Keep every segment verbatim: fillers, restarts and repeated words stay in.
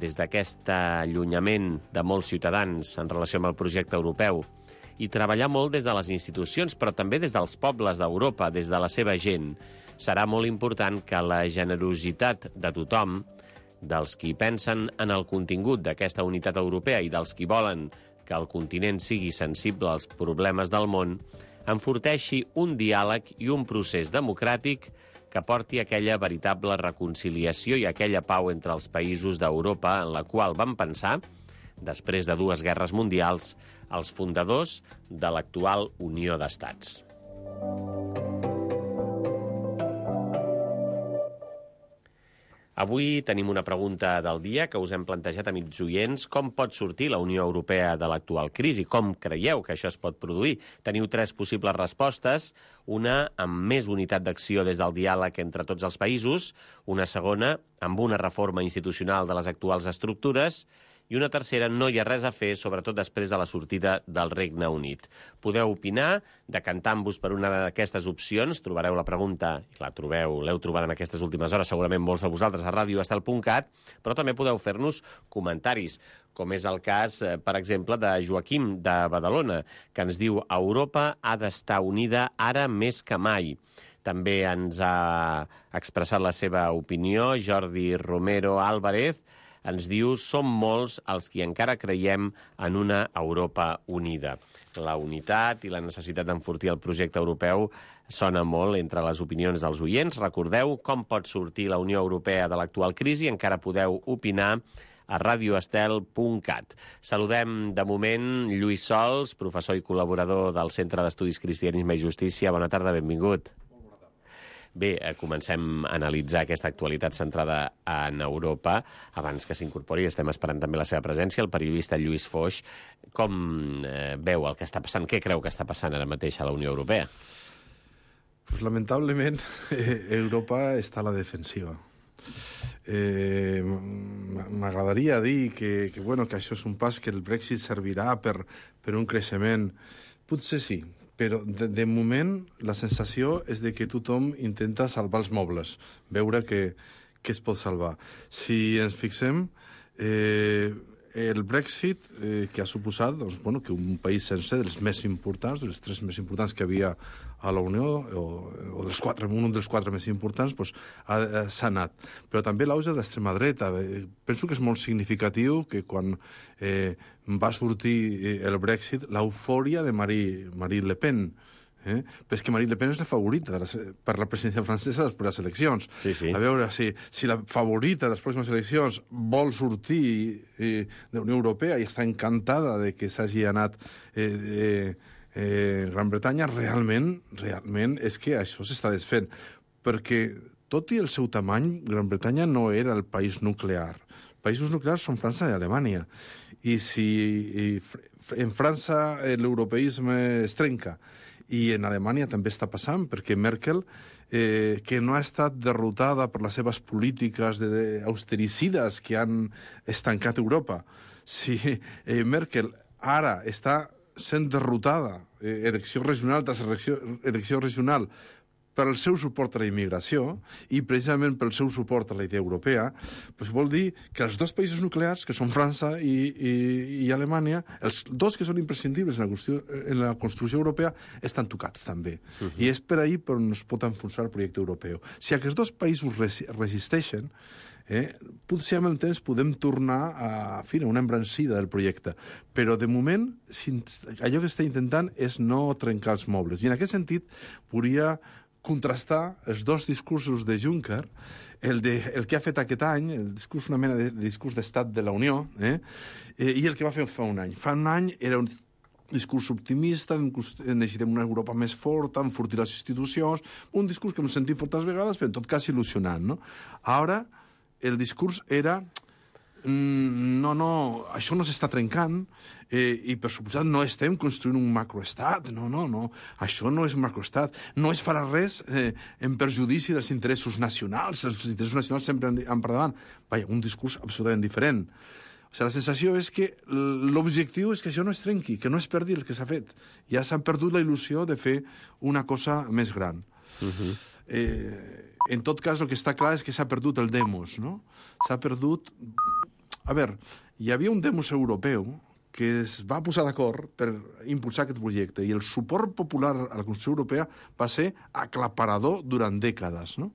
des d'aquest allunyament de molts ciutadans en relació amb el projecte europeu i treballar molt des de les institucions, però també des dels pobles d'Europa, des de la seva gent. Serà molt important que la generositat de tothom, dels qui pensen en el contingut d'aquesta unitat europea i dels qui volen que el continent sigui sensible als problemes del món, enforteixi un diàleg i un procés democràtic que porti aquella veritable reconciliació i aquella pau entre els països d'Europa en la qual van pensar, després de dues guerres mundials, els fundadors de l'actual Unió d'Estats. Avui tenim una pregunta del dia que us hem plantejat, amics oients. Com pot sortir la Unió Europea de l'actual crisi? Com creieu que això es pot produir? Teniu tres possibles respostes. Una, amb més unitat d'acció des del diàleg entre tots els països. Una segona, amb una reforma institucional de les actuals estructures. I una tercera, no hi ha res a fer, sobretot després de la sortida del Regne Unit. Podeu opinar, decantant-vos per una d'aquestes opcions. Trobareu la pregunta, i la trobeu, l'heu trobada en aquestes últimes hores, segurament molts de vosaltres, a radio estel punt cat, però també podeu fer-nos comentaris, com és el cas, per exemple, de Joaquim, de Badalona, que ens diu: Europa ha d'estar unida ara més que mai. També ens ha expressat la seva opinió Jordi Romero Álvarez, ens diu: som molts els qui encara creiem en una Europa unida. La unitat i la necessitat d'enfortir el projecte europeu sona molt entre les opinions dels oients. Recordeu com pot sortir la Unió Europea de l'actual crisi. Encara podeu opinar a radio estel punt cat. Saludem de moment Lluís Sols, professor i col·laborador del Centre d'Estudis Cristianisme i Justícia. Bona tarda, benvingut. Bé, comencem a analitzar aquesta actualitat centrada en Europa. Abans que s'incorpori, estem esperant també la seva presència, el periodista Lluís Foix. Com eh, veu el que està passant? Què creu que està passant ara mateix a la Unió Europea? Pues, lamentablement, eh, Europa està a la defensiva. Eh, M'agradaria dir que, que, bueno, que això és un pas, que el Brexit servirà per, per un creixement. Potser sí, però de, de moment la sensació és de que tothom intenta salvar els mobles, veure que, que es pot salvar. Si ens fixem, eh, el Brexit, eh, que ha suposat doncs, bueno, que un país sencer, dels més importants, dels tres més importants que havia a la Unió, o, o dels quatre, un dels quatre més importants, doncs, ha, s'ha anat. Però també l'auge de l'extrema dreta. Eh, penso que és molt significatiu que quan eh, va sortir el Brexit, l'eufòria de Marie, Marine Le Pen, Eh? Però és que Marine Le Pen és la favorita de la, per la presidència francesa després de les eleccions. Sí, sí. A veure, si, si la favorita de les pròximes eleccions vol sortir eh, de la Unió Europea i està encantada de que s'hagi anat eh, eh, eh, Gran Bretanya, realment, realment és que això s'està desfent. Perquè, tot i el seu tamany, Gran Bretanya no era el país nuclear. Països nuclears són França i Alemanya. I si i en França l'europeisme es trenca, i en Alemanya també està passant, perquè Merkel, eh, que no ha estat derrotada per les seves polítiques de austericides que han estancat Europa, si eh, Merkel ara està sent derrotada, eh, elecció regional tras elecció, elecció regional, per el seu suport a la immigració i precisament pel seu suport a la idea europea, doncs vol dir que els dos països nuclears, que són França i, i, i Alemanya, els dos que són imprescindibles en la, qüestió, en la construcció europea, estan tocats també. Uh -huh. I és per ahir per on es pot enfonsar el projecte europeu. Si aquests dos països res, resisteixen, eh, potser amb el temps podem tornar a, a una embrancida del projecte. Però, de moment, allò que està intentant és no trencar els mobles. I en aquest sentit, podria contrastar els dos discursos de Juncker, el, de, el que ha fet aquest any, el discurs, una mena de, de discurs d'estat de la Unió, eh, eh, i el que va fer fa un any. Fa un any era un discurs optimista, necessitem una Europa més forta, enfortir les institucions, un discurs que hem sentit fortes vegades, però en tot cas il·lusionant, no? Ara, el discurs era no, no, això no s'està trencant eh, i per suposat no estem construint un macroestat, no, no, no, això no és un macroestat, no es farà res eh, en perjudici dels interessos nacionals, els interessos nacionals sempre han per davant. Vaja, un discurs absolutament diferent. O sigui, la sensació és que l'objectiu és que això no es trenqui, que no es perdi el que s'ha fet. Ja s'han perdut la il·lusió de fer una cosa més gran. Uh-huh. eh, en tot cas, el que està clar és que s'ha perdut el demos, no? S'ha perdut a veure, hi havia un demos europeu que es va posar d'acord per impulsar aquest projecte, i el suport popular a la Constitució Europea va ser aclaparador durant dècades, no?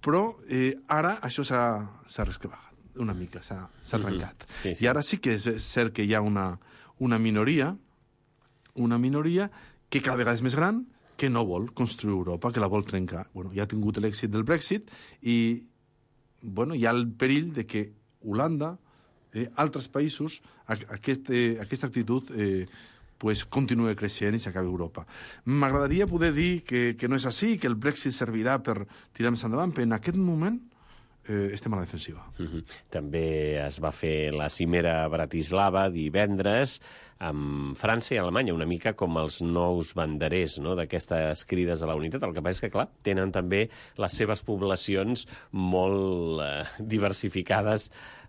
Però eh, ara això s'ha resquebragat una mica, s'ha trencat. Sí, sí. I ara sí que és cert que hi ha una, una minoria, una minoria que cada vegada és més gran, que no vol construir Europa, que la vol trencar. Bueno, ja ha tingut l'èxit del Brexit i bueno, hi ha el perill de que Holanda, eh, altres països, aquest, eh, aquesta actitud eh, pues, continua creixent i s'acabi Europa. M'agradaria poder dir que, que no és així, que el Brexit servirà per tirar més endavant, però en aquest moment eh, estem a la defensiva. Uh-huh. També es va fer la cimera a Bratislava divendres amb França i Alemanya, una mica com els nous banderers, no?, d'aquestes crides a la unitat. El que passa és que, clar, tenen també les seves poblacions molt eh, diversificades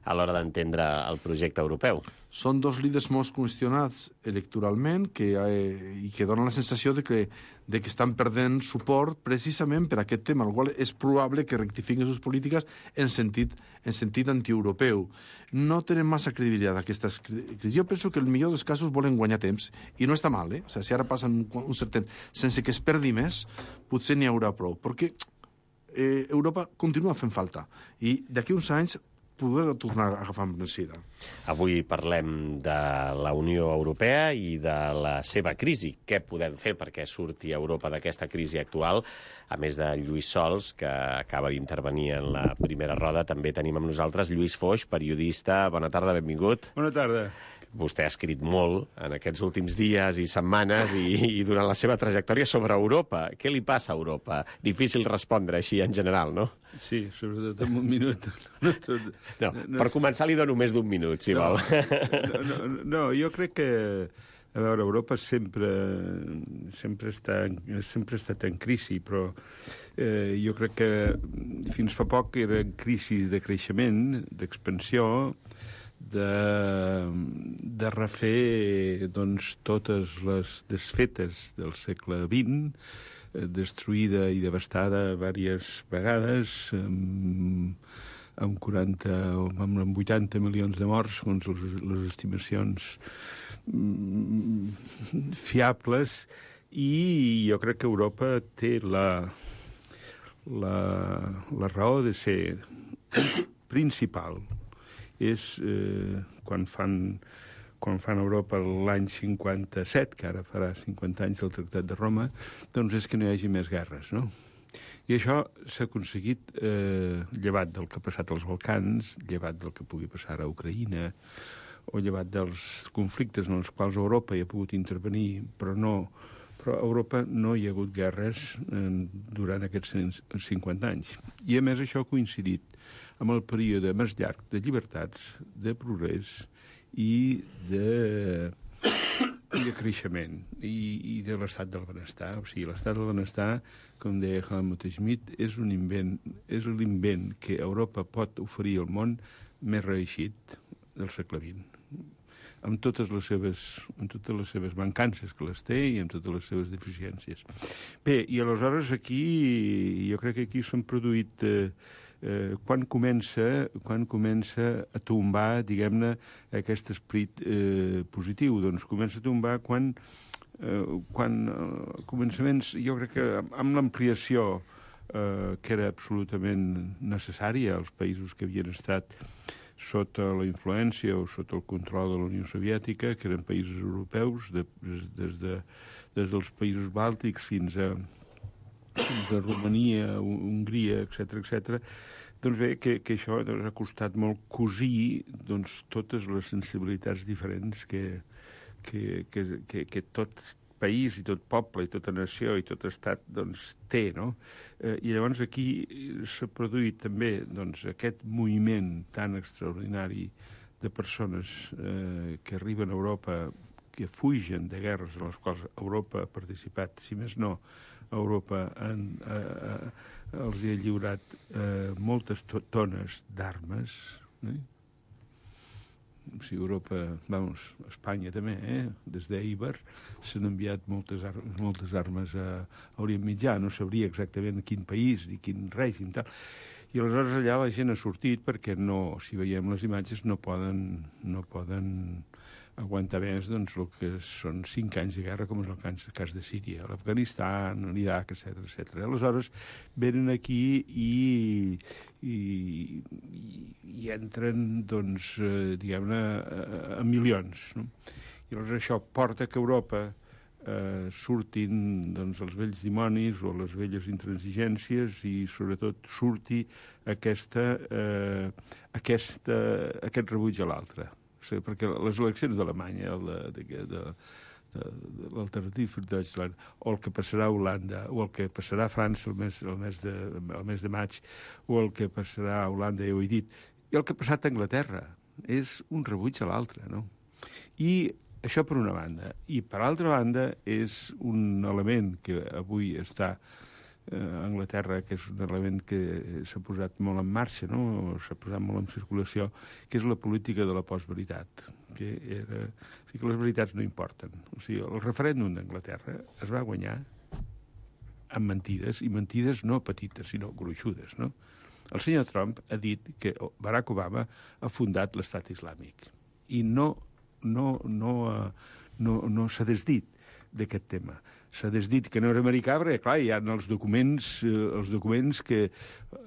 a l'hora d'entendre el projecte europeu. Són dos líders molt qüestionats electoralment que, eh, i que donen la sensació de que, de que estan perdent suport precisament per aquest tema, al qual és probable que rectifiquin les polítiques en sentit, en sentit antieuropeu. No tenen massa credibilitat aquestes crisis. Jo penso que el millor dels casos volen guanyar temps, i no està mal, eh? O sigui, si ara passen un, un cert temps sense que es perdi més, potser n'hi haurà prou, perquè eh, Europa continua fent falta, i d'aquí uns anys poder tornar a agafar embranzida. Avui parlem de la Unió Europea i de la seva crisi. Què podem fer perquè surti Europa d'aquesta crisi actual? A més de Lluís Sols, que acaba d'intervenir en la primera roda, també tenim amb nosaltres Lluís Foix, periodista. Bona tarda, benvingut. Bona tarda. Vostè ha escrit molt en aquests últims dies i setmanes i, i durant la seva trajectòria sobre Europa. Què li passa a Europa? Difícil respondre així en general, no? Sí, sobretot en un minut. No, tot, no, no, per començar li dono més d'un minut, si no, vol. No, no, no, jo crec que, a veure, Europa sempre, sempre, està, sempre ha estat en crisi, però eh, jo crec que fins fa poc era crisi de creixement, d'expansió, de, de refer doncs, totes les desfetes del segle vint, eh, destruïda i devastada diverses vegades, amb, amb quaranta o amb vuitanta milions de morts, segons les, les estimacions mm, fiables, i jo crec que Europa té la, la, la raó de ser principal. És eh, quan fan quan fan Europa l'any cinquanta-set, que ara farà cinquanta anys del Tractat de Roma, doncs és que no hi hagi més guerres, no? I això s'ha aconseguit eh, llevat del que ha passat als Balcans, llevat del que pugui passar a Ucraïna, o llevat dels conflictes en els quals Europa hi ha pogut intervenir, però no però a Europa no hi ha hagut guerres eh, durant aquests cinquanta anys. I a més això ha coincidit amb el període més llarg de llibertats, de progrés i de, i de creixement i, i de l'estat del benestar. O sigui, l'estat del benestar, com deia Helmut Schmidt, és un invent, és l'invent que Europa pot oferir al món més reeixit del segle vint, amb totes les seves, amb totes les seves mancances que les té i amb totes les seves deficiències. Bé, i aleshores aquí, jo crec que aquí s'han produït... Eh, Eh, quan comença quan comença a tombar, diguem-ne, aquest esperit eh, positiu? Doncs comença a tombar quan, eh, quan eh, començaments, jo crec que amb l'ampliació eh, que era absolutament necessària als països que havien estat sota la influència o sota el control de la Unió Soviètica, que eren països europeus, de, des, de, des dels països bàltics fins a de Romania, Hongria, etcètera, etcètera. Doncs bé, que, que això doncs, ha costat molt cosir doncs, totes les sensibilitats diferents que, que, que, que, que tot país i tot poble i tota nació i tot estat doncs, té, no? Eh, I llavors aquí s'ha produït també doncs, aquest moviment tan extraordinari de persones eh, que arriben a Europa, que fugen de guerres en les quals Europa ha participat, si més no, Europa en, eh, eh, els ha lliurat eh, moltes tones d'armes. Eh? O sigui, Europa, vamos, Espanya també, eh? Des d'Eiber s'han enviat moltes, ar moltes armes a, a Orient Mitjà. No sabria exactament quin país ni quin règim, tal. I aleshores allà la gent ha sortit perquè no, si veiem les imatges, no poden, no poden aguantar més doncs, el que són cinc anys de guerra, com és el cas, el cas de Síria, l'Afganistan, l'Iraq, etcètera, etcètera. Aleshores, venen aquí i, i, i, i entren, doncs, eh, diguem-ne, a, a milions. No? I aleshores això porta que Europa eh, surtin doncs, els vells dimonis o les velles intransigències i, sobretot, surti aquesta, eh, aquesta, aquest rebuig a l'altre. Sí, perquè les eleccions d'Alemanya, de, de, de, de, de l'Alternative für Deutschland, o el que passarà a Holanda, o el que passarà a França el mes, el mes, de, el mes de maig, o el que passarà a Holanda, ja ho he dit, i el que ha passat a Anglaterra, és un rebuig a l'altre, no? I això per una banda. I per altra banda és un element que avui està a Anglaterra, que és un element que s'ha posat molt en marxa, no? S'ha posat molt en circulació, que és la política de la postveritat, que era... O sigui, que les veritats no importen. O sigui, el referèndum d'Anglaterra es va guanyar amb mentides, i mentides no petites, sinó gruixudes, no? El senyor Trump ha dit que Barack Obama ha fundat l'estat islàmic i no, no, no, no, no s'ha desdit d'aquest tema. S'ha desdit que no era americà, perquè, clar, hi ha els documents, eh, els documents que...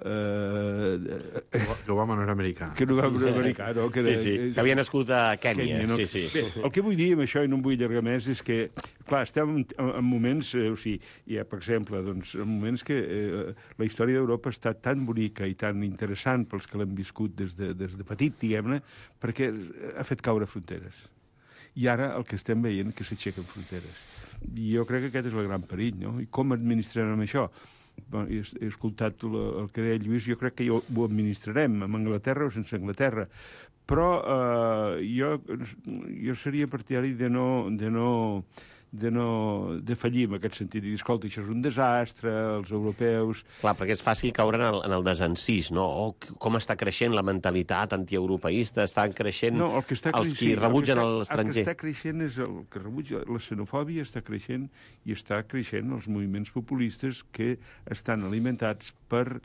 Eh, que Obama no era americà. Que no va ser americà, no? Que de, sí, sí, que havia nascut a Kènia. Kènia no? Sí, sí. Bé, el que vull dir amb això, i no em vull allargar més, és que, clar, estem en, en moments, eh, o sigui, hi ha, per exemple, doncs, en moments que eh, la història d'Europa ha estat tan bonica i tan interessant pels que l'hem viscut des de, des de petit, diguem-ne, perquè ha fet caure fronteres. I ara el que estem veient que s'aixequen fronteres. I jo crec que aquest és el gran perill, no? I com administrarem això? Bon, he, he escoltat el, el que deia Lluís, jo crec que jo, ho administrarem, amb Anglaterra o sense Anglaterra. Però eh, jo, jo seria partidari de no... De no de no de fallir en aquest sentit, i dir, escolta, això és un desastre, els europeus... Clar, perquè és fàcil caure en el, en el desencís, no? Oh, com està creixent la mentalitat antieuropeista, estan creixent no, el que està els creixent, qui rebutgen el que està, l'estranger. El que està creixent és el que rebutja, la xenofòbia està creixent i està creixent els moviments populistes que estan alimentats per...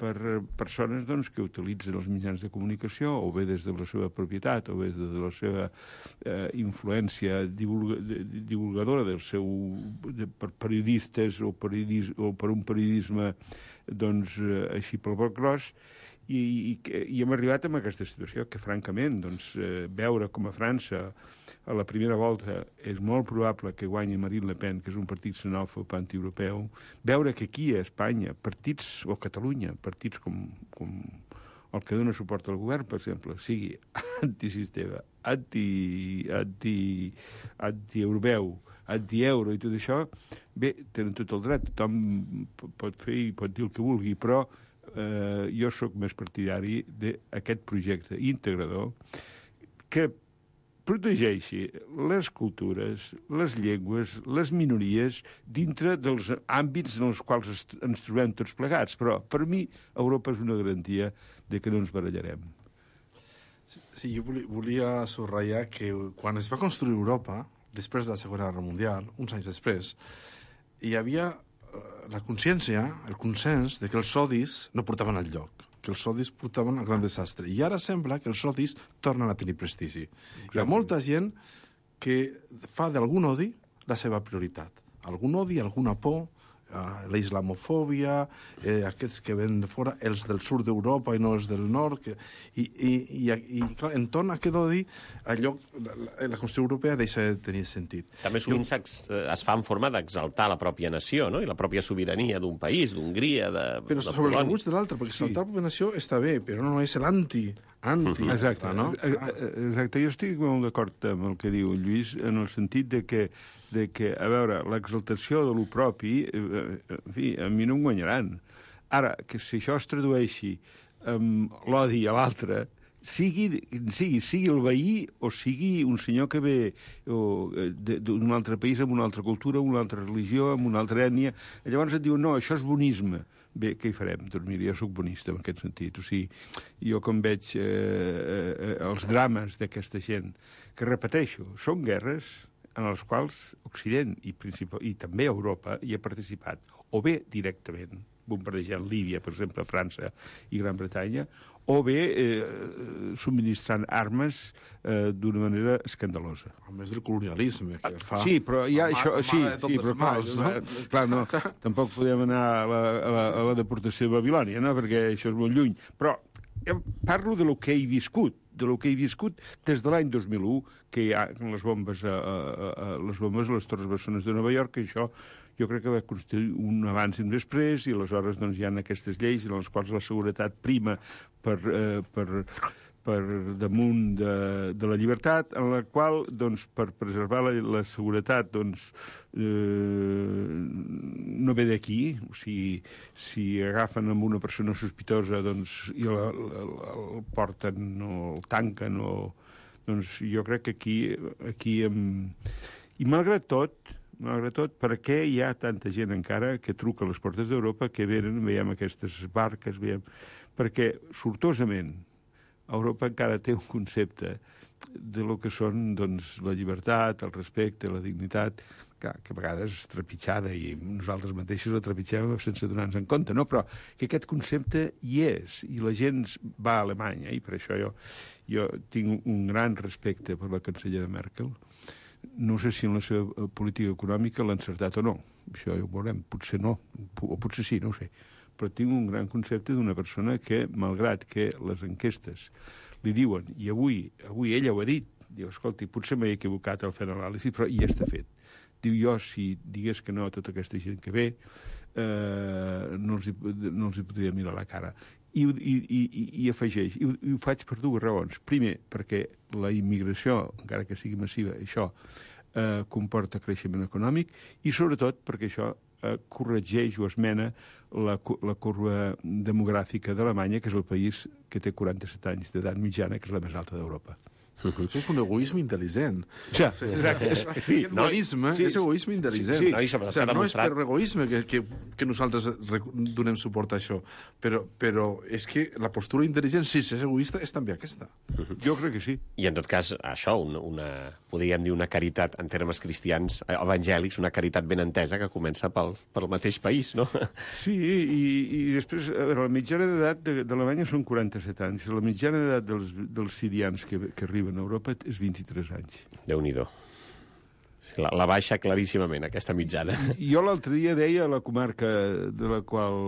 per persones doncs, que utilitzen els mitjans de comunicació, o bé des de la seva propietat, o bé des de la seva eh, influència divulga, divulgadora del seu, de, per periodistes o, periodis, o per un periodisme doncs, eh, així pel broc gros, i, i, i hem arribat a aquesta situació que, francament, doncs, eh, veure com a França a la primera volta és molt probable que guanyi Marine Le Pen, que és un partit xenòfob antieuropeu, veure que aquí a Espanya, partits, o a Catalunya, partits com, com el que dona suport al govern, per exemple, sigui antisistema, anti, anti, anti-europeu, anti-euro i tot això, bé, tenen tot el dret, tothom pot fer i pot dir el que vulgui, però eh, jo sóc més partidari d'aquest projecte integrador que protegeixi les cultures, les llengües, les minories, dintre dels àmbits en els quals ens trobem tots plegats. Però, per mi, Europa és una garantia de que no ens barallarem. Sí, jo volia subratllar que quan es va construir Europa, després de la Segona Guerra Mundial, uns anys després, hi havia la consciència, el consens, de que els sodis no portaven al lloc, que els sodis portaven al gran desastre. I ara sembla que els sodis tornen a tenir prestigi. Exacte. Hi ha molta gent que fa d'algun odi la seva prioritat. Algun odi, alguna por, eh, la islamofòbia, eh, aquests que ven de fora, els del sud d'Europa i no els del nord, que, i, i, i, i clar, entorn a aquest odi, allò, la, la Constitució Europea deixa de tenir sentit. També sovint jo... es fa en forma d'exaltar la pròpia nació, no? I la pròpia sobirania d'un país, d'Hongria, de, però de sobre el rebuig de l'altre, perquè exaltar sí. la pròpia nació està bé, però no és l'anti, anti. Uh-huh. Exacte, no? Exacte, jo estic molt d'acord amb el que diu Lluís, en el sentit de que, de que a veure, l'exaltació de lo propi, eh, en fi, a mi no em guanyaran. Ara, que si això es tradueixi amb l'odi a l'altre, sigui, sigui, sigui el veí o sigui un senyor que ve d'un altre país amb una altra cultura, amb una altra religió, amb una altra ètnia, llavors et diuen, no, això és bonisme. Bé, què hi farem? Doncs mira, jo soc bonista en aquest sentit. O sigui, jo com veig eh, eh, els drames d'aquesta gent, que repeteixo, són guerres en les quals Occident i, i també Europa hi ha participat, o bé directament, bombardejant Líbia, per exemple, França i Gran Bretanya, o bé eh, subministrant armes eh, d'una manera escandalosa. A més del colonialisme que fa... Sí, però ja la això... mà- Sí, mà de tots sí, però els clar, mals, no? eh, clar, no, tampoc podem anar a la, a la, a la deportació de Babilònia, no? Perquè això és molt lluny. Però jo parlo de lo que he viscut, de lo que he viscut des de l'any dos mil u, que hi ha les bombes a, a, a, les bombes a les Torres Bessones de Nova York, que això jo crec que va constituir un abans i un després, i aleshores doncs, hi ha aquestes lleis en les quals la seguretat prima per, eh, per, per damunt de, de la llibertat, en la qual, doncs, per preservar la, la seguretat, doncs, eh, no ve d'aquí. O sigui, si agafen amb una persona sospitosa doncs, i la, la, la, el porten o el tanquen, o, doncs jo crec que aquí... aquí em... I malgrat tot, malgrat tot, per què hi ha tanta gent encara que truca a les portes d'Europa, que venen, veiem aquestes barques, veiem... Perquè, sortosament, Europa encara té un concepte de lo que són doncs, la llibertat, el respecte, la dignitat, que, que a vegades és trepitjada i nosaltres mateixos la trepitgem sense donar-nos en compte, no? Però que aquest concepte hi és, i la gent va a Alemanya, i per això jo, jo tinc un gran respecte per la cancellera Merkel. No sé si en la seva política econòmica l'ha encertat o no. Això ja ho veurem. Potser no, o potser sí, no ho sé. Però tinc un gran concepte d'una persona que, malgrat que les enquestes li diuen, i avui, avui ella ho ha dit, diu, escolti, potser m'he equivocat al fer l'anàlisi, però ja està fet. Diu, jo, si digués que no a tota aquesta gent que ve, eh, no, els hi, no els hi podria mirar la cara. I, i, i, i afegeix, i ho, i ho faig per dues raons. Primer, perquè la immigració, encara que sigui massiva, això eh, comporta creixement econòmic, i sobretot perquè això eh, corregeix o esmena la, la curva demogràfica d'Alemanya, que és el país que té quaranta-set anys d'edat mitjana, que és la més alta d'Europa. Això és un egoisme intel·ligent. Ja, sí, exacte. Sí, no, egoisme, sí, és egoisme intel·ligent. sí, sí. No, i sobretot o sigui, s'ha no és demostrat- per egoisme que, que, que nosaltres donem suport a això, però, però és que la postura intel·ligent, si és egoista, és també aquesta. Jo crec que sí. I en tot cas, això, una, una, podríem dir una caritat en termes cristians eh, evangèlics, una caritat ben entesa que comença pel, pel mateix país, no? Sí, i, i després, a veure, la mitjana d'edat de- d'Alemanya són quaranta-set anys. La mitjana d'edat dels, dels sirians que, que arriben a Europa és vint-i-tres anys. Déu-n'hi-do. La, la baixa claríssimament, aquesta mitjana. Jo l'altre dia deia a la comarca de la qual...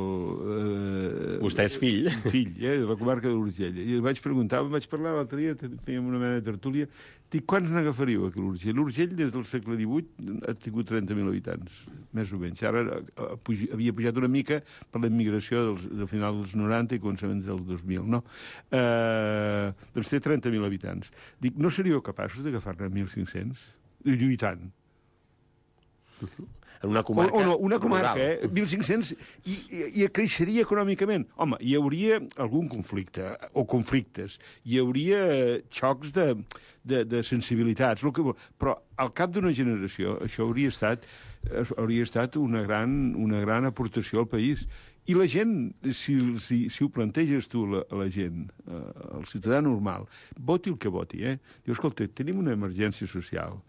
Eh, Vostè és fill. Fill, eh, de la comarca de l'Urgell. I el vaig preguntar, vaig parlar l'altre dia, fèiem una mena de tertúlia, dic, quants n'agafaríeu aquí a l'Urgell? L'Urgell, des del segle divuit, ha tingut trenta mil habitants, més o menys. Ara eh, puj, havia pujat una mica per la immigració dels, del final dels noranta i començaments del dos mil, no? Eh, doncs té trenta mil habitants. Dic, no seríeu capaços d'agafar-ne mil cinc-cents? Lluitant. En una comarca... O, o no, una comarca, rural. eh? mil cinc-cents, i, i, i creixeria econòmicament. Home, hi hauria algun conflicte, o conflictes, hi hauria xocs de, de, de sensibilitats, el que, vol. Però al cap d'una generació això hauria estat, hauria estat una, gran, una gran aportació al país. I la gent, si, si, si ho planteges tu, la, la gent, eh, el ciutadà normal, voti el que voti, eh? Diu, escolta, tenim una emergència social,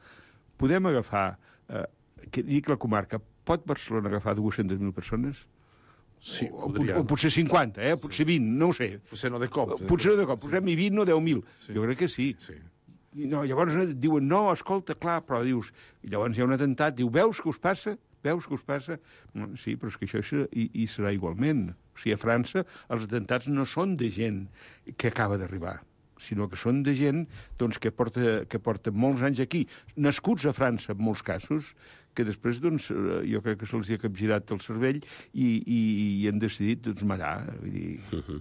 podem agafar... Eh, que dic la comarca, pot Barcelona agafar dues-centes mil persones? Sí, o, podria. o potser cinquanta, eh? Potser vint, no ho sé. Potser no de cop. Potser no de cop, posem-hi vint o deu mil. Sí. Jo crec que sí. Sí. I no, llavors diuen, no, escolta, clar, però dius... I llavors hi ha un atemptat, diu, veus què us passa? Veus què us passa? No, sí, però és que això serà, i, i serà igualment. O sigui, a França els atemptats no són de gent que acaba d'arribar, sinó que són de gent doncs, que, porta, que porta molts anys aquí, nascuts a França, en molts casos, que després, doncs, jo crec que se'ls ha capgirat el cervell i, i, i han decidit, doncs, mallar. Vull dir... Uh -huh.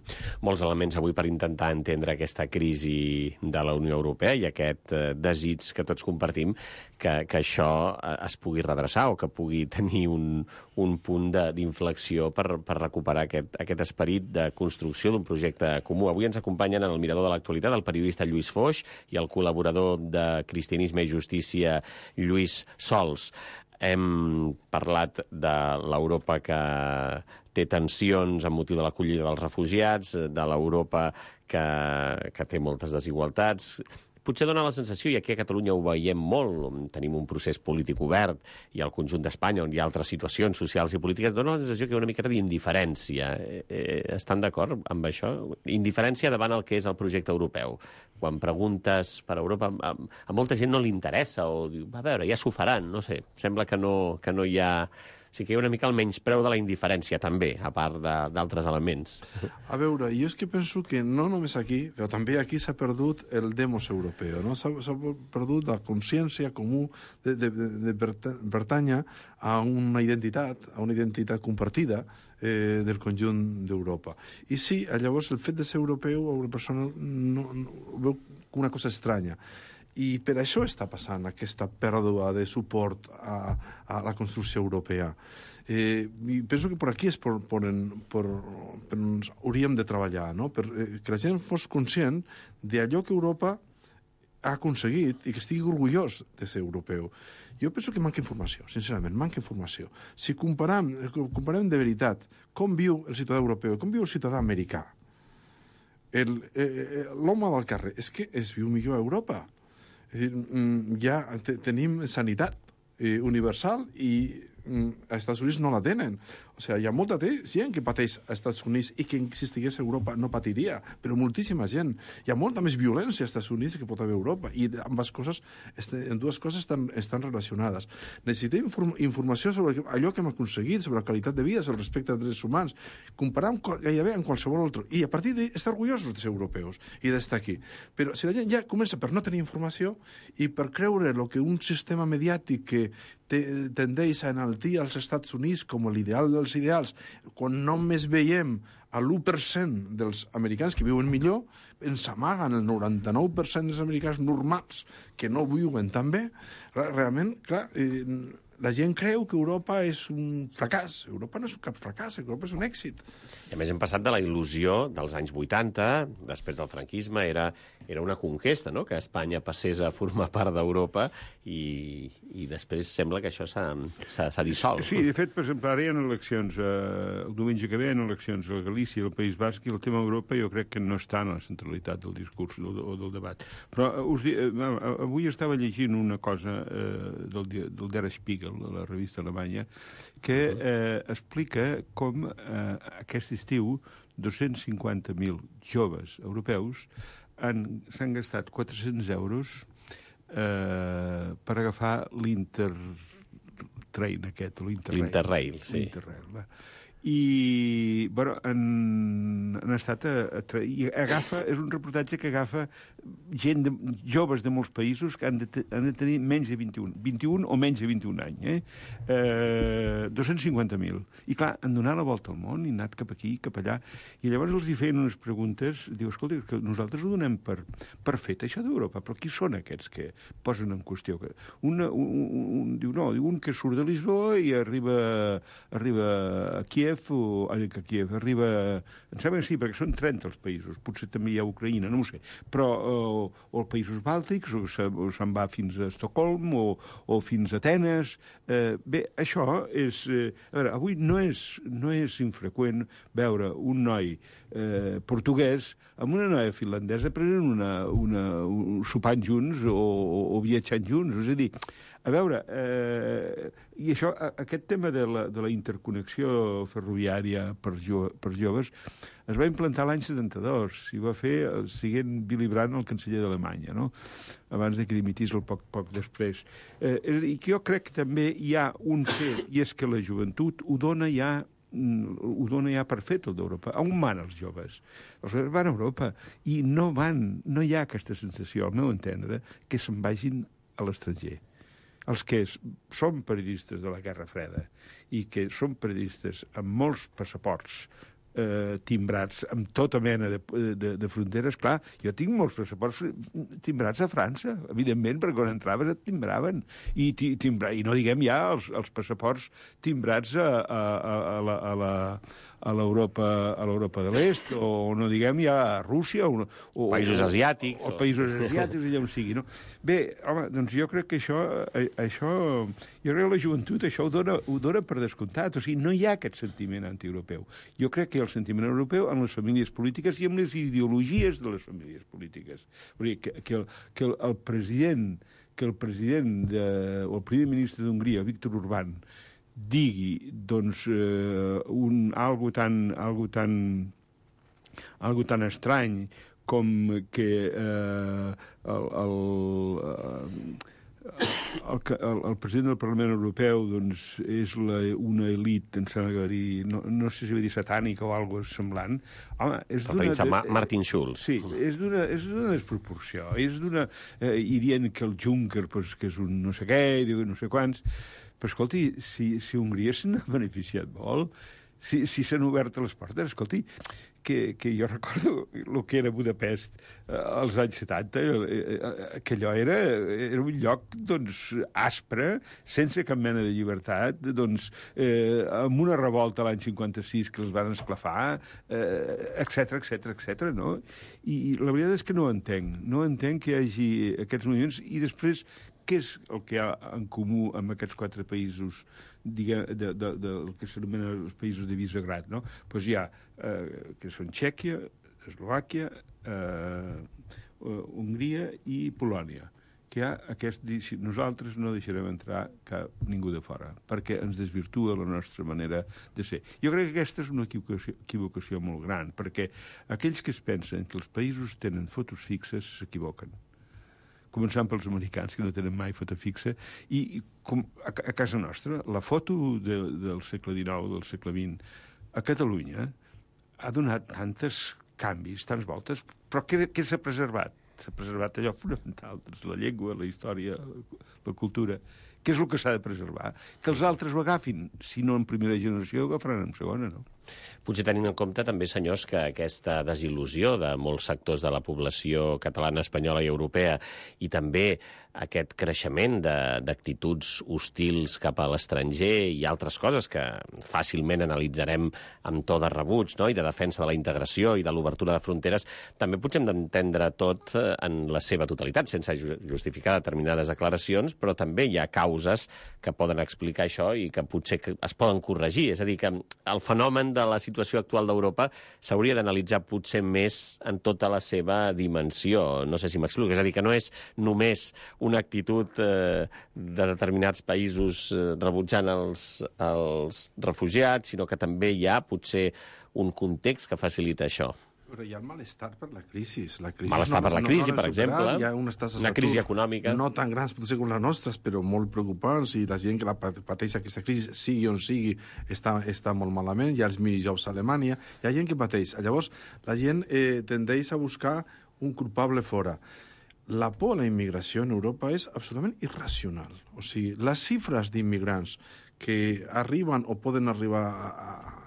Molts elements avui per intentar entendre aquesta crisi de la Unió Europea i aquest eh, desig que tots compartim que, que això eh, es pugui redreçar o que pugui tenir un, un punt d'inflexió per, per recuperar aquest, aquest esperit de construcció d'un projecte comú. Avui ens acompanyen en el Mirador de l'Actualitat el periodista Lluís Foix i el col·laborador de Cristianisme i Justícia, Lluís Sols. Hem parlat de l'Europa que té tensions amb motiu de l'acollida dels refugiats, de l'Europa que, que té moltes desigualtats, potser dona la sensació, i aquí a Catalunya ho veiem molt, tenim un procés polític obert, i al conjunt d'Espanya, on hi ha altres situacions socials i polítiques, dona la sensació que hi ha una miqueta d'indiferència. Eh, eh, estan d'acord amb això? Indiferència davant el que és el projecte europeu. Quan preguntes per Europa, a, a molta gent no li interessa, o diu, a veure, ja s'ho faran, no sé, sembla que no, que no hi ha... O sigui que hi ha una mica el menyspreu de la indiferència, també, a part d'altres elements. A veure, jo és que penso que no només aquí, però també aquí s'ha perdut el demos europeu, no? S'ha perdut la consciència comú de, de, de pertànyer a una identitat, a una identitat compartida eh, del conjunt d'Europa. I sí, llavors el fet de ser europeu a una persona no, no veu una cosa estranya. I per això està passant aquesta pèrdua de suport a, a la construcció europea. Eh, i penso que per aquí és per, per, per, per on hauríem de treballar, no? Per, eh, que la gent fos conscient d'allò que Europa ha aconseguit i que estigui orgullós de ser europeu. Jo penso que manca informació, sincerament, manca informació. Si comparem, comparem de veritat com viu el ciutadà europeu, com viu el ciutadà americà, l'home del carrer, és que es viu millor a Europa. És dir, ja te, tenim sanitat eh, universal i mm, als Estats Units no la tenen. O sigui, hi ha molta gent que pateix als Estats Units i que si estigués a Europa no patiria, però moltíssima gent. Hi ha molta més violència als Estats Units que pot haver a Europa i ambas coses, en dues coses estan, estan relacionades. Necessitem inform informació sobre allò que hem aconseguit, sobre la qualitat de vida, sobre el respecte als drets humans, comparar gairebé amb qualsevol altre. I a partir d'estar orgullosos de ser europeus i d'estar aquí. Però si la gent ja comença per no tenir informació i per creure el que un sistema mediàtic que tendeix a enaltir als Estats Units com l'ideal dels ideals, quan només veiem a l'u per cent dels americans que viuen millor, ens amaguen el noranta-nou per cent dels americans normals que no viuen tan bé. Realment, clar, eh, la gent creu que Europa és un fracàs. Europa no és cap fracàs, Europa és un èxit. I a més hem passat de la il·lusió dels anys vuitanta, després del franquisme, era, era una conquesta, no?, que Espanya passés a formar part d'Europa i, i després sembla que això s'ha dissolt. Sí, de fet, per exemple, ara hi ha eleccions, eh, el diumenge que ve hi ha eleccions a Galícia, al País Basc, i el tema Europa jo crec que no està en la centralitat del discurs o del, del debat. Però eh, us di, eh, avui estava llegint una cosa eh, del, del Der Spiegel, de la revista alemanya, que eh, explica com eh, aquest estiu dos-cents cinquanta mil joves europeus s'han gastat quatre-cents euros eh, per agafar l'Intertrain aquest, l'Interrail. L'Interrail, sí. L'Interrail, va. I, bueno, han, han estat a, a, i agafa, és un reportatge que agafa gent, de, joves de molts països que han de, han de tenir menys de vint-i-un, vint-i-un o menys de vint-i-un anys, eh? eh dos-cents cinquanta mil. I clar, han donat la volta al món i han anat cap aquí, cap allà, i llavors els hi feien unes preguntes, diu, escolta, que nosaltres ho donem per, per fet, això d'Europa, però qui són aquests que posen en qüestió? Una, un, un, un, diu, no, diu un que surt de Lisboa i arriba, arriba a Kiev, o a Kiev, arriba... Em sembla que sí, perquè són trenta els països, potser també hi ha Ucraïna, no ho sé, però o, o els països bàltics, o se'n va fins a Estocolm, o, o fins a Atenes. Eh, bé, això és... Eh, a veure, avui no és, no és infreqüent veure un noi eh, portuguès amb una noia finlandesa prenent una, una, un, sopant junts o, o, o viatjant junts. És a dir, a veure, eh, i això, aquest tema de la, de la interconnexió ferroviària per, jo, per joves es va implantar l'any setanta-dos i va fer el siguent Willy Brandt, el canceller d'Alemanya, no?, abans de que dimitís el poc, poc després. Eh, I jo crec que també hi ha un fet, i és que la joventut ho dona ja ho dona ja per fet, el d'Europa. On van els joves? Els joves van a Europa i no van, no hi ha aquesta sensació, al meu entendre, que se'n vagin a l'estranger. Els que són periodistes de la Guerra Freda i que són periodistes amb molts passaports eh, timbrats amb tota mena de, de, de fronteres, clar, jo tinc molts passaports timbrats a França, evidentment, perquè quan entraves et timbraven. I, timbra, i no diguem ja els, els passaports timbrats a, a, a, la, a, la, a l'Europa a l'Europa de l'Est, o no diguem ja a Rússia, o, o països asiàtics. O, o països asiàtics, allà on sigui, no? Bé, home, doncs jo crec que això, això jo crec que la joventut això ho dona, ho dona per descomptat, o sigui, no hi ha aquest sentiment antieuropeu. Jo crec que hi ha el sentiment europeu en les famílies polítiques i en les ideologies de les famílies polítiques. Vull dir, que, que, el, que el, el president que el president de, o el primer ministre d'Hongria, Viktor Orbán, digui, doncs, eh, un, algo tan, algo tan, algo tan estrany com que eh, el, el, el, el, el president del Parlament Europeu doncs, és la, una elit, em sembla que va dir, no, no sé si va dir satànica o alguna cosa semblant. Home, és d'una... a Ma Martin Schulz. Sí, és d'una desproporció. És d'una... Eh, I dient que el Juncker, pues, que és un no sé què, i diu no sé quants... Però, escolti, si, si Hongria se n'ha beneficiat molt, si si s'han obert les portes, escolti, que, que jo recordo el que era Budapest eh, als anys setanta, eh, eh, que allò era, era un lloc, doncs, aspre, sense cap mena de llibertat, doncs, eh, amb una revolta l'any cinquanta-sis que els van esclafar, etcètera, etcètera, etcètera, no? I, I la veritat és que no entenc, no entenc que hi hagi aquests moviments, i després què és el que hi ha en comú amb aquests quatre països, diguem, de, de, de, del que s'anomenen els països de Visegrad, no? Doncs hi ha, eh, que són Txèquia, Eslovàquia, eh, Hongria i Polònia, que hi ha aquest... Nosaltres no deixarem entrar cap, ningú de fora, perquè ens desvirtua la nostra manera de ser. Jo crec que aquesta és una equivocació, equivocació molt gran, perquè aquells que es pensen que els països tenen fotos fixes s'equivoquen. Començant pels americans, que no tenen mai foto fixa, i, i com a, a casa nostra, la foto de, del segle dinou, del segle vint, a Catalunya, ha donat tantes canvis, tants voltes, però què, què s'ha preservat? S'ha preservat allò fonamental, doncs, la llengua, la història, la, la cultura. Què és el que s'ha de preservar? Que els altres ho agafin, si no en primera generació, ho agafaran en segona, no? Potser tenint en compte també, senyors, que aquesta desil·lusió de molts sectors de la població catalana, espanyola i europea, i també aquest creixement d'actituds hostils cap a l'estranger i altres coses que fàcilment analitzarem amb to de rebuig, no?, i de defensa de la integració i de l'obertura de fronteres, també potser hem d'entendre tot en la seva totalitat, sense justificar determinades declaracions, però també hi ha causes que poden explicar això i que potser es poden corregir. És a dir, que el fenomen de la situació actual d'Europa s'hauria d'analitzar potser més en tota la seva dimensió. No sé si m'explico. És a dir, que no és només una actitud eh, de determinats països eh, rebutjant els, els refugiats, sinó que també hi ha potser un context que facilita això. Però hi ha el malestar per la crisi. La crisi malestar no, per la crisi, no, no per exemple. Hi ha unes tasses una crisi econòmica. No tan grans, potser com les nostres, però molt preocupants, i la gent que la pateix aquesta crisi, sigui on sigui, està, està molt malament. Hi ha els minijobs a Alemanya, hi ha gent que pateix. Llavors, la gent eh, tendeix a buscar un culpable fora. La por a la immigració en Europa és absolutament irracional. O sigui, les xifres d'immigrants que arriben o poden arribar a, a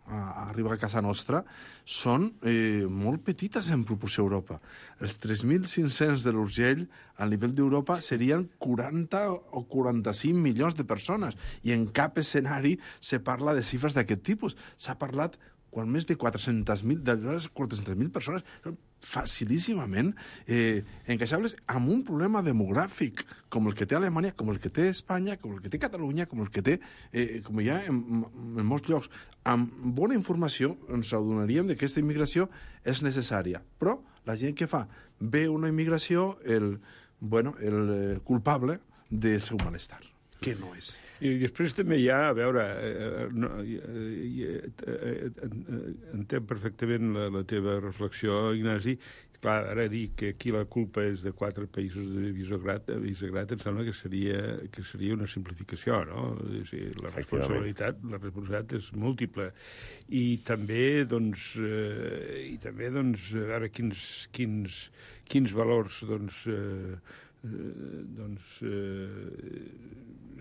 a arribar a casa nostra, són eh, molt petites en proporció a Europa. Els tres mil cinc-cents de l'Urgell, a nivell d'Europa, serien quaranta o quaranta-cinc milions de persones. I en cap escenari se parla de xifres d'aquest tipus. S'ha parlat quan més de quatre-centes mil persones són facilíssimament eh, encaixables amb un problema demogràfic com el que té Alemanya, com el que té Espanya, com el que té Catalunya, com el que té, eh, com hi ha en, en molts llocs. Amb bona informació ens adonaríem que aquesta immigració és necessària. Però la gent que fa ve una immigració el, bueno, el culpable del seu malestar, que no és. I després també hi ha, a veure, eh, no, eh, eh, entenc perfectament la, la teva reflexió, Ignasi. Clar, ara dir que aquí la culpa és de quatre països de Visegrad, Visegrad em sembla que seria, que seria una simplificació, no? És dir, la responsabilitat, la responsabilitat és múltiple. I també, doncs, eh, i també, doncs, a veure quins, quins, quins valors, doncs, eh, doncs eh,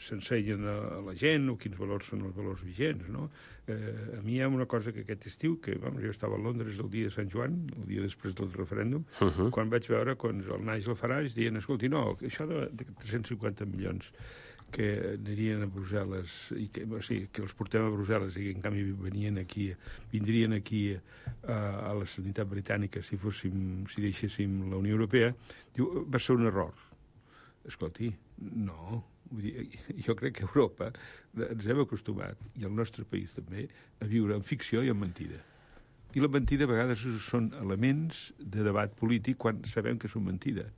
s'ensenyen a, a la gent, o quins valors són els valors vigents, no? Eh, a mi hi ha una cosa que aquest estiu, que vamos, jo estava a Londres el dia de Sant Joan, el dia després del referèndum, uh -huh. quan vaig veure quan el Nigel Farage dient, escolti, no, això de, de tres-cents cinquanta milions que anirien a Brussel·les, i que, o sigui, que els portem a Brussel·les i que en canvi venien aquí, vindrien aquí a, a la sanitat britànica si fóssim, si deixéssim la Unió Europea, diu, va ser un error. Escolti, no. Vull dir, jo crec que a Europa ens hem acostumat, i al nostre país també, a viure en ficció i en mentida. I la mentida a vegades són elements de debat polític quan sabem que són mentida.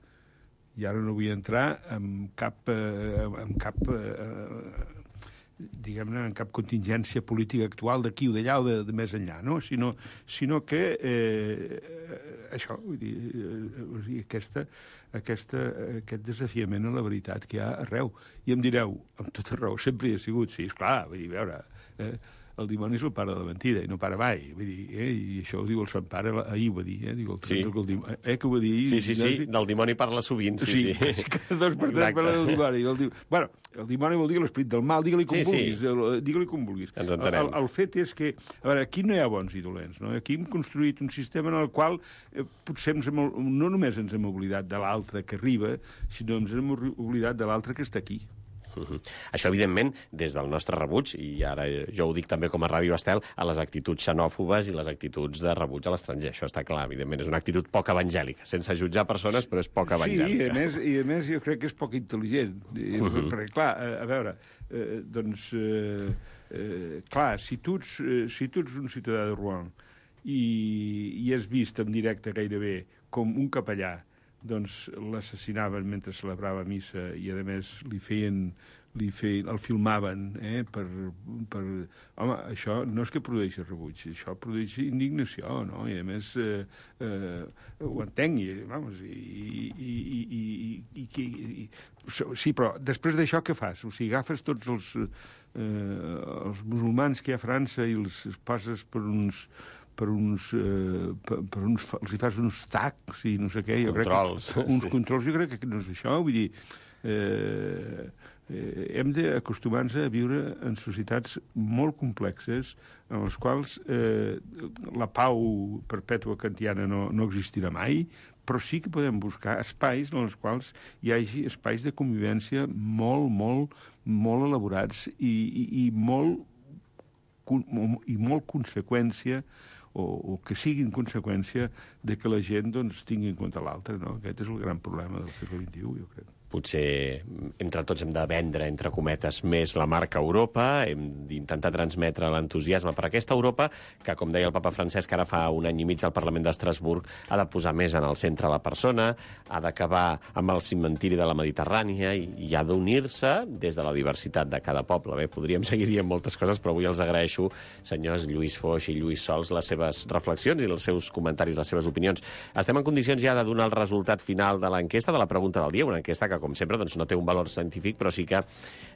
I ara no vull entrar en cap, eh, en cap eh, diguem-ne, en cap contingència política actual d'aquí o d'allà o de, de més enllà, no? Sinó, sinó que eh, això, vull dir, eh, aquesta, aquesta, aquest desafiament a la veritat que hi ha arreu. I em direu, amb tota raó, sempre hi ha sigut, sí, esclar, vull dir, a veure... Eh, el dimoni és el pare de la mentida, i no para mai. Vull dir, eh? I això ho diu el Sant Pare, ahir ho va dir, eh? Diu el, sí. el dimoni, eh? Que ho va dir... Sí, sí, sí, del dimoni parla sovint, sí, sí. sí. Cada dos per tres parla del dimoni. El dimoni. Bueno, el dimoni vol dir l'esperit del mal, digue-li com sí, vulguis, sí. digue-li com vulguis. Ens entenem. El, el fet és que, a veure, aquí no hi ha bons i dolents, no? Aquí hem construït un sistema en el qual eh, potser ens hem, no només ens hem oblidat de l'altre que arriba, sinó ens hem oblidat de l'altre que està aquí. Uh -huh. Això, evidentment, des del nostre rebuig, i ara jo ho dic també com a Ràdio Estel, a les actituds xenòfobes i les actituds de rebuig a l'estranger. Això està clar, evidentment, és una actitud poc evangèlica, sense jutjar persones, però és poc evangèlica. Sí, i a més, i a més jo crec que és poc intel·ligent. Uh -huh. Perquè, clar, a, a veure, eh, doncs, eh, eh, clar, si tu, ets, eh, si tu ets un ciutadà de Rouen i, i has vist en directe gairebé com un capellà doncs l'assassinaven mentre celebrava missa i, a més, li feien, li feien, el filmaven, eh, per, per... Home, això no és que produeixi rebuig, això produeix indignació, no? I, a més, eh, eh, ho entenc, i, vamos, i... i, i, i, i, i, i sí, però després d'això què fas? O sigui, agafes tots els, eh, els musulmans que hi ha a França i els passes per uns... per uns, eh, per, per uns... els hi fas uns tacs i no sé què. Jo controls. Crec que, uns sí. controls, jo crec que no és això. Vull dir, eh, eh, hem d'acostumar-nos a viure en societats molt complexes en les quals eh, la pau perpètua kantiana no, no existirà mai, però sí que podem buscar espais en els quals hi hagi espais de convivència molt, molt, molt elaborats i, i, i molt i molt conseqüència o, o que siguin conseqüència de que la gent doncs, tingui en compte l'altre, no? Aquest és el gran problema del segle vint-i-u, jo crec. Potser entre tots hem de vendre, entre cometes, més la marca Europa, hem d'intentar transmetre l'entusiasme per aquesta Europa que, com deia el papa Francesc, ara fa un any i mig al Parlament d'Estrasburg, ha de posar més en el centre la persona, ha d'acabar amb el cimentiri de la Mediterrània i, i ha d'unir-se des de la diversitat de cada poble. Bé, podríem seguir dient moltes coses, però avui els agraeixo, senyors Lluís Foix i Lluís Sols, les seves reflexions i els seus comentaris, les seves opinions. Estem en condicions ja de donar el resultat final de l'enquesta, de la pregunta del dia, una enquesta que, com sempre, doncs no té un valor científic, però sí que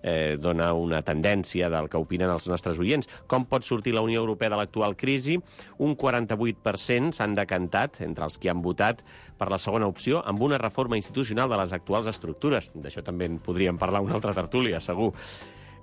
eh, dona una tendència del que opinen els nostres oients. Com pot sortir la Unió Europea de l'actual crisi? Un quaranta-vuit per cent s'han decantat, entre els que han votat, per la segona opció, amb una reforma institucional de les actuals estructures. D'això també en podríem parlar una altra tertúlia, segur.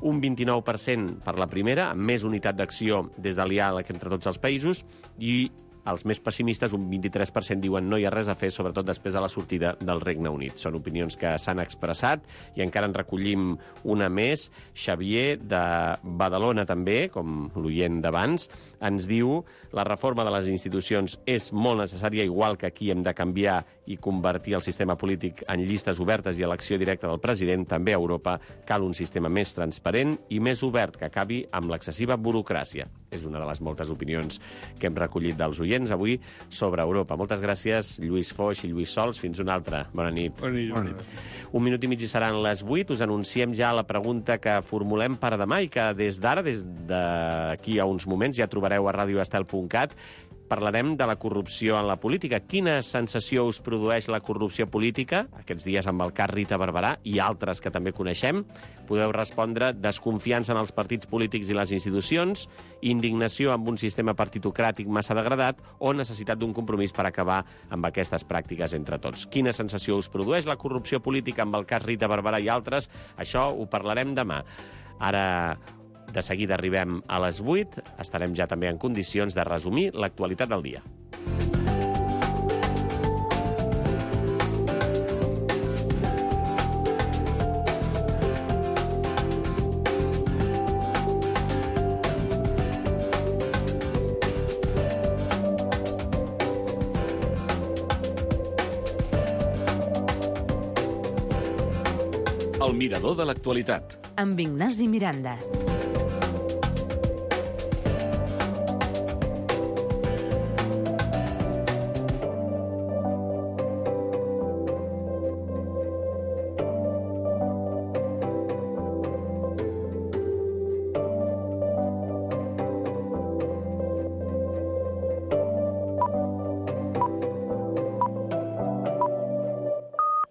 Un vint-i-nou per cent per la primera, amb més unitat d'acció des de diàleg entre tots els països, i els més pessimistes, un vint-i-tres per cent, diuen no hi ha res a fer, sobretot després de la sortida del Regne Unit. Són opinions que s'han expressat i encara en recollim una més. Xavier, de Badalona també, com l'oient d'abans, ens diu la reforma de les institucions és molt necessària, igual que aquí hem de canviar i convertir el sistema polític en llistes obertes i elecció directa del president. També a Europa cal un sistema més transparent i més obert que acabi amb l'excessiva burocràcia. És una de les moltes opinions que hem recollit dels oients avui sobre Europa. Moltes gràcies, Lluís Foix i Lluís Sols. Fins una altra. Bona nit. Bona nit. Bona nit. Un minut i mig i seran les vuit. Us anunciem ja la pregunta que formulem per demà i que des d'ara, des d'aquí a uns moments, ja trobareu a radio estel punt cat. Parlarem de la corrupció en la política. Quina sensació us produeix la corrupció política? Aquests dies amb el cas Rita Barberà i altres que també coneixem. Podeu respondre desconfiança en els partits polítics i les institucions, indignació amb un sistema partitocràtic massa degradat o necessitat d'un compromís per acabar amb aquestes pràctiques entre tots. Quina sensació us produeix la corrupció política amb el cas Rita Barberà i altres? Això ho parlarem demà. Ara, de seguida arribem a les vuit. Estarem ja també en condicions de resumir l'actualitat del dia. El mirador de l'actualitat. Amb Ignasi Miranda.